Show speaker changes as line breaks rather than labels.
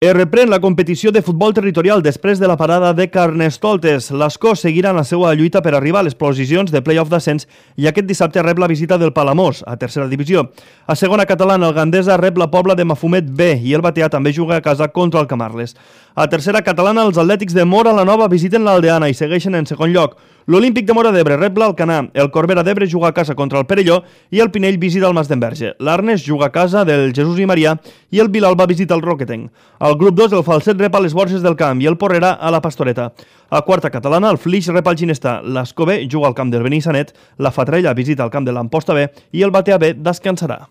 Es reprèn la competició de futbol territorial després de la parada de Carnestoltes. L'Escó seguirà en la seva lluita per arribar a les posicions de play-off d'ascens i aquest dissabte rep la visita del Palamós, a tercera divisió. A segona catalana, el Gandesa rep la Pobla de Mafumet B i el Bateà també juga a casa contra el Camarles. A tercera catalana, els Atlètics de Móra la Nova visiten l'Aldeana i segueixen en segon lloc. L'Olímpic de Móra d'Ebre rep l'Alcanar, el Corbera d'Ebre juga a casa contra el Perelló i el Pinell visita el Mas d'Enverge. L'Arnes juga a casa del Jesús i Marià i el Vilalba visita el Roquetenc. Al grup 2, el Falset rep a les Borges del Camp i el Porrera a la Pastoreta. A quarta catalana, el Flix rep al Ginestar, l'Escó B juga al camp del Benissanet, la Fatrella visita el camp de l'Amposta B i el Bateà B descansarà.